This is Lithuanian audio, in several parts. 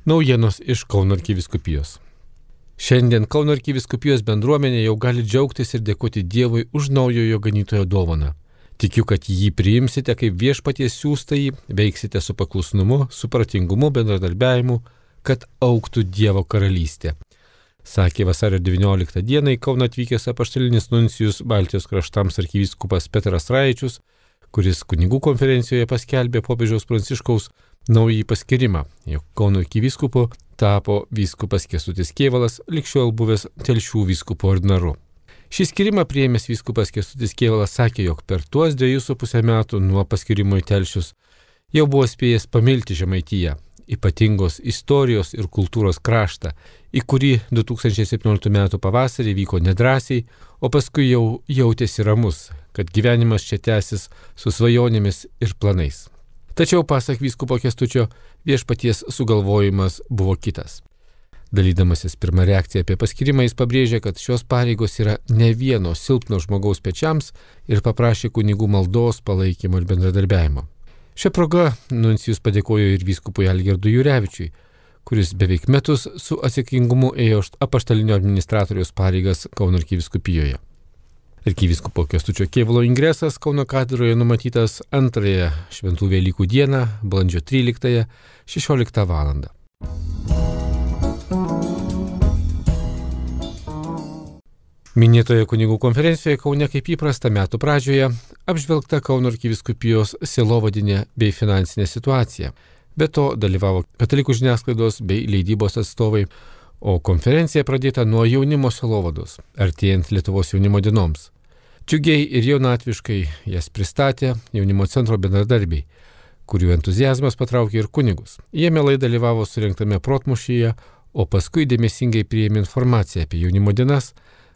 Naujienos iš Kauno arkivyskupijos. Šiandien Kauno arkivyskupijos bendruomenė jau gali džiaugtis ir dėkoti Dievui už naujojo ganytojo dovaną. Tikiu, kad jį priimsite kaip viešpaties siųstąjį, veiksite su paklusnumu, supratingumu, bendradarbiavimu, kad augtų Dievo karalystė. Sakė vasario 19 dieną į Kauną atvykęs apaštalinis nuncijus Baltijos kraštams arkivyskupas Petras Raičius, kuris kunigų konferencijoje paskelbė popiežiaus Pranciškaus naująjį paskyrimą, jog Kauno arkivyskupu tapo vyskupas Kęstutis Kėvalas, ligšiol buvęs Telšių vyskupo ordinaru. Šį skyrimą priėmęs vyskupas Kęstutis Kėvalas sakė, jog per tuos 2,5 metų nuo paskyrimo į Telšius jau buvo spėjęs pamilti Žemaitiją, ypatingos istorijos ir kultūros kraštą, į kurį 2017 metų pavasarį vyko nedrąsiai, o paskui jau jautėsi ramus, kad gyvenimas čia tęsis su svajonėmis ir planais. Tačiau, pasak vyskupo Kęstučio, viešpaties sugalvojimas buvo kitas. Dalydamasis pirmą reakciją apie paskyrimą, jis pabrėžė, kad šios pareigos yra ne vieno silpno žmogaus pečiams ir paprašė kunigų maldos, palaikymo ir bendradarbiavimo. Šią progą nuncijus padėkojo ir vyskupui Algirdui Jurevičiui, kuris beveik metus su atsakingumu ėjo apaštalinio administratoriaus pareigas Kauno arkivyskupijoje. Arkivyskupo Kęstučio Kėvalo ingresas Kauno katedroje numatytas 2 Šventų Velykų dieną, balandžio 13, 16 val. Minėtoje kunigų konferencijoje Kaune kaip įprasta metų pradžioje apžvelgta Kauno arkivyskupijos sielovadinė bei finansinė situacija. Be to dalyvavo katalikų žiniasklaidos bei leidybos atstovai, o konferencija pradėta nuo jaunimo sielovados, artėjant Lietuvos jaunimo dienoms. Džiugiai ir jaunatviškai jas pristatė jaunimo centro bendradarbiai, kurių entuzijazmas patraukė ir kunigus. Jie mielai dalyvavo surengtame protmūšyje, o paskui dėmesingai priėmė informaciją apie jaunimo dienas,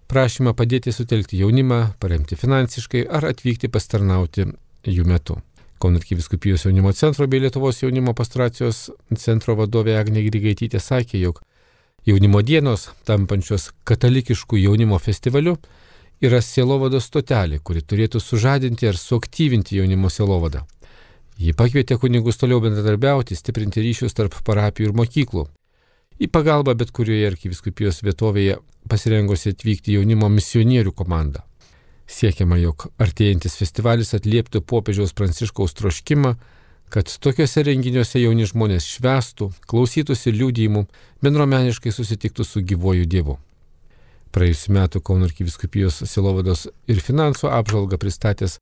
prašymą padėti sutelkti jaunimą, paremti finansiškai ar atvykti pasitarnauti jų metu. Kauno arkivyskupijos jaunimo centro bei Lietuvos jaunimo pastoracijos centro vadovė Agnė Grigaitytė sakė, jog jaunimo dienos, tampančios katalikiškų jaunimo festivaliu, yra sielovados stotelė, kuri turėtų sužadinti ar suaktyvinti jaunimo sielovadą. Ji pakvietė kunigus toliau bendradarbiauti, stiprinti ryšius tarp parapijų ir mokyklų. Į pagalbą bet kurioje arkivyskupijos vietovėje pasirengusi atvykti jaunimo misionierių komanda. Siekiama, jog artėjantis festivalis atlieptų popiežiaus Pranciškaus troškimą, kad tokiuose renginiuose jauni žmonės švęstų, klausytųsi liudijimų, bendruomeniškai susitiktų su gyvuoju Dievu. Praėjusiu metu Kauno arkivyskupijos sielovados ir finansų apžvalgą pristatęs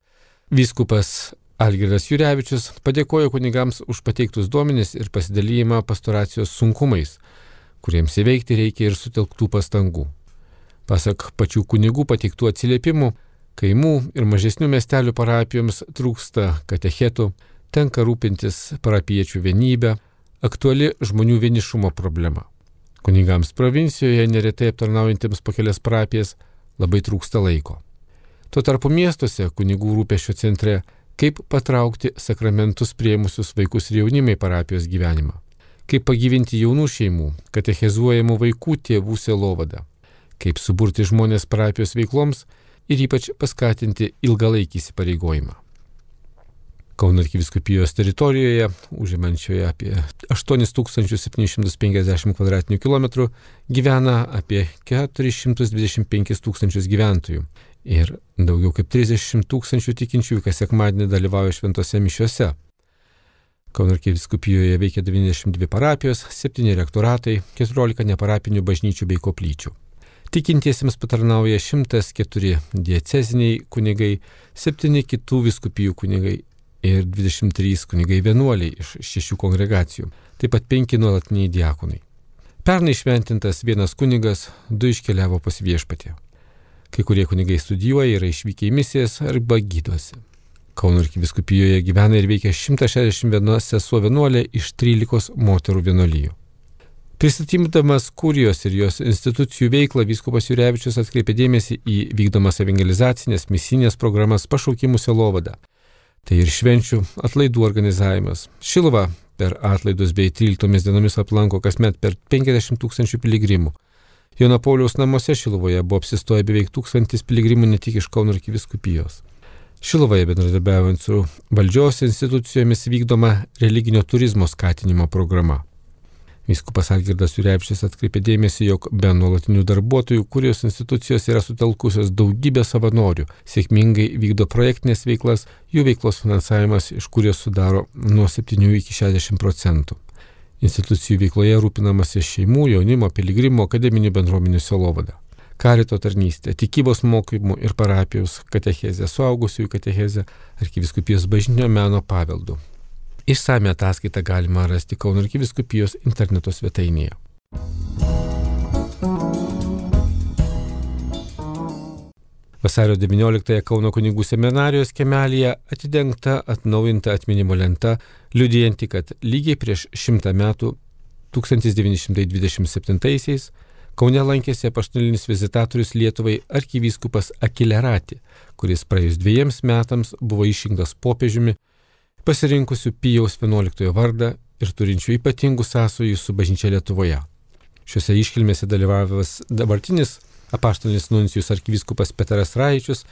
vyskupas Algirdas Jurevičius padėkojo kunigams už pateiktus duomenis ir pasidalijimą pastoracijos sunkumais, kuriems įveikti reikia ir sutelktų pastangų. Pasak pačių kunigų pateiktų atsiliepimų, kaimų ir mažesnių miestelių parapijoms trūksta katechetų, tenka rūpintis parapiečių vienybę, aktuali žmonių vienišumo problema. Kunigams provincijoje, neretai aptarnaujantiems po kelias parapijas, labai trūksta laiko. Tuo tarpu miestuose kunigų rūpesčio centre, kaip patraukti sakramentus priėmusius vaikus ir jaunimą į parapijos gyvenimą, kaip pagyvinti jaunų šeimų, katechezuojamų vaikų tėvų sielovadą, kaip suburti žmonės parapijos veikloms ir ypač paskatinti ilgalaikį įsipareigojimą. Kauno arkivyskupijos teritorijoje, užimančioje apie 8750 km2, gyvena apie 425 tūkstančius gyventojų ir daugiau kaip 30 tūkstančių tikinčiųjų kas sekmadienį dalyvauja šventose mišiose. Kauno arkivyskupijos veikia 92 parapijos, 7 rektoratai, 14 neparapinių bažnyčių bei koplyčių. Tikintiesiems patarnauja 104 dieceziniai kunigai, 7 kitų vyskupijų kunigai ir 23 kunigai vienuoliai iš 6 kongregacijų, taip pat 5 nuolatiniai diakonai. Pernai šventintas 1 kunigas, 2 iškeliavo pas viešpatį. Kai kurie kunigai studijuoja, yra išvykę į misijas arba gydosi. Kauno arkivyskupijoje gyvena ir veikia 161 sesuo vienuolė iš 13 moterų vienuolijų. Pristatydamas kurijos ir jos institucijų veiklą, vyskupas Jurevičius atkreipė dėmesį į vykdomas evangelizacinės misinės programas pašaukimų sielovadą. Tai ir švenčių atlaidų organizavimas. Šiluva per atlaidus bei 13 dienomis aplanko kasmet per 50 tūkstančių piligrimų. Jono Pauliaus namuose Šiluvoje buvo apsistoję beveik 1000 piligrimų ne tik iš Kauno arkivyskupijos. Šiluvoje bendradarbiaujant su valdžios institucijomis vykdoma religinio turizmo skatinimo programa. Vyskupas Algirdas Jurevičius atkreipė dėmesį, jog be nuolatinių darbuotojų kurijos institucijos yra sutelkusios daugybę savanorių, sėkmingai vykdo projektinės veiklas, jų veiklos finansavimas iš kurijos sudaro nuo 7 iki 60%. Institucijų veikloje rūpinamasi šeimų, jaunimo, piligrimų, akademinių bendruomenių sielovada. Karito tarnystė, tikybos mokymų ir parapijos katechezė, suaugusiųjų katechezė, arkivyskupijos bažnytinio meno paveldu. Išsame ataskaitą galima rasti Kauno arkivyskupijos interneto svetainėje. Vasario 19-ąją Kauno kunigų seminarijos kiemelyje atidengta atnaujinta atminimo lenta, liudijanti, kad lygiai prieš 100 metų 1927-aisiais Kaune lankėsi apaštalinis vizitatorius Lietuvai arkivyskupas Akilerati, kuris praėjus 2 metams buvo išrinktas popiežiumi, pasirinkusiu Pijaus XI vardą ir turinčiu ypatingų sąsajų su bažnyčia Lietuvoje. Šiuose iškilmėse dalyvavęs dabartinis apaštalinis nuncijus arkivyskupas Petras Raičius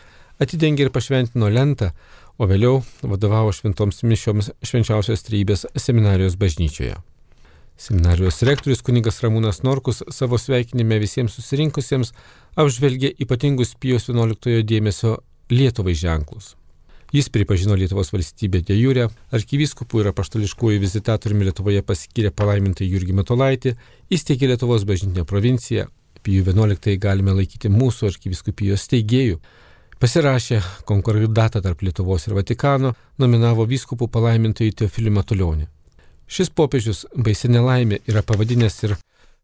atidengė ir pašventino lentą, o vėliau vadovavo šventoms mišioms Švenčiausios Trejybės seminarijos bažnyčioje. Seminarijos rektorius kunigas Ramūnas Norkus savo sveikinime visiems susirinkusiems apžvelgė ypatingus Pijaus XI dėmesio Lietuvai ženklus. Jis pripažino Lietuvos valstybę de jure, arkivyskupų ir apaštališkųjų vizitatoriumi Lietuvoje paskyrė palaimintą Jurgį Matulaitį, įsteigė Lietuvos bažnytinę provinciją, Pijų XI galime laikyti mūsų arkivyskupijos steigėjų, pasirašė konkordatą tarp Lietuvos ir Vatikano, nominavo vyskupų palaimintąjį Teofilį Matulionį. Šis popiežius baisi nelaimė yra pavadinęs ir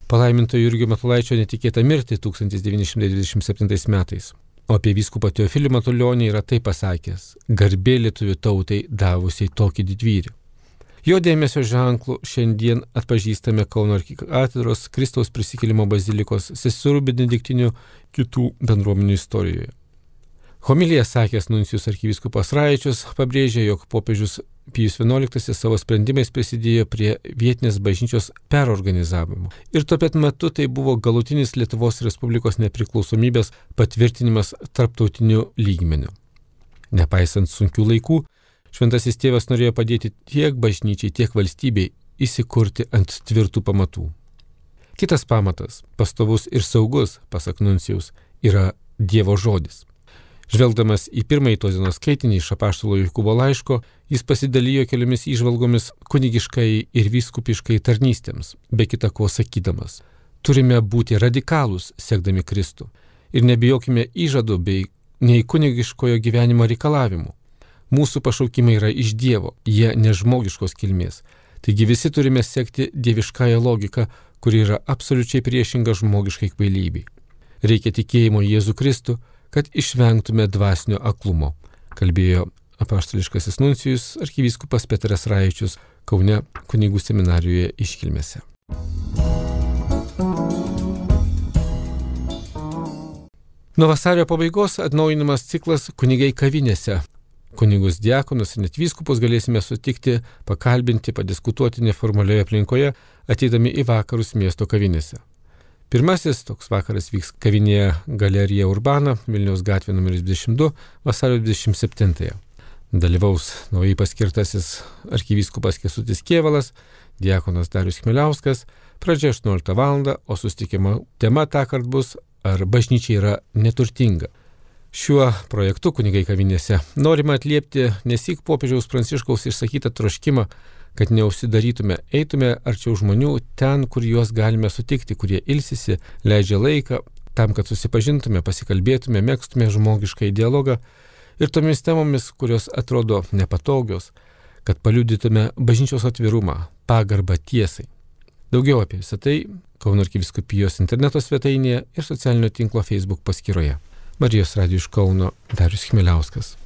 palaimintojo Jurgio Matulaičio netikėtą mirtį 1927 metais. O apie vyskupą Teofilį Matulionį yra taip pasakęs: garbė lietuvių tautai davusiai tokį didvyrį. Jo dėmesio ženklų šiandien atpažįstame Kauno arkikatedros, Kristaus prisikėlimo bazilikos, seserų benediktinių, kitų bendruomenių istorijoje. Homiliją sakęs nuncijus arkivyskupas Raičius pabrėžė, jog popiežius Pijus XI savo sprendimais prisidėjo prie vietinės bažnyčios perorganizavimo. Ir tuo pat metu tai buvo galutinis Lietuvos Respublikos nepriklausomybės patvirtinimas tarptautiniu lygmeniu. Nepaisant sunkių laikų, Šventasis tėvas norėjo padėti tiek bažnyčiai, tiek valstybei įsikurti ant tvirtų pamatų. Kitas pamatas, pastovus ir saugus, pasak nuncijaus, yra Dievo žodis. Žvelgdamas į pirmąjį tos dienos skaitinį iš apaštalo Jokūbo laiško, jis pasidalijo keliomis įžvalgomis kunigiškai ir vyskupiškai tarnystėms, be kita ko sakydamas: turime būti radikalūs, sekdami Kristų, ir nebijokime įžadų bei nei kunigiškojo gyvenimo reikalavimų. Mūsų pašaukimai yra iš Dievo, jie nežmogiškos kilmės. Taigi visi turime sekti dieviškąją logiką, kuri yra absoliučiai priešinga žmogiškai kvailybei. Reikia tikėjimo į Jėzų Kristų, kad išvengtume dvasinio aklumo, kalbėjo apaštališkasis nuncijus arkivyskupas Petras Raičius Kaune kunigų seminarijoje iškilmėse. Nuo vasario pabaigos atnaujinamas ciklas Kunigai kavinėse. Kunigus diakonus ir net vyskupus galėsime sutikti, pakalbinti, padiskutuoti neformalioje aplinkoje, ateidami į vakarus miesto kavinėse. Pirmasis toks vakaras vyks kavinėje Galerija Urbana, Vilniaus gatvė numeris 22, vasario 27-ąją. Dalyvaus naujai paskirtasis arkivyskupas Kęstutis Kėvalas, diakonas Darius Chmieliauskas, pradžia 18 val. O susitikimo tema tąkart bus: ar bažnyčia yra neturtinga. Šiuo projektu Kunigai kavinėse norima atliepti nesyk popiežiaus Pranciškaus išsakytą troškimą, kad neužsidarytume, eitume arčiau žmonių ten, kur juos galime sutikti, kurie ilsisi, leidžia laiką, tam, kad susipažintume, pasikalbėtume, megztume žmogišką dialogą ir tomis temomis, kurios atrodo nepatogios, kad paliudytume bažnyčios atvirumą, pagarbą tiesai. Daugiau apie visą tai Kauno arkivyskupijos interneto svetainėje ir socialinio tinklo Facebook paskyroje. Marijos radijo iš Kauno Darius Chmieliauskas.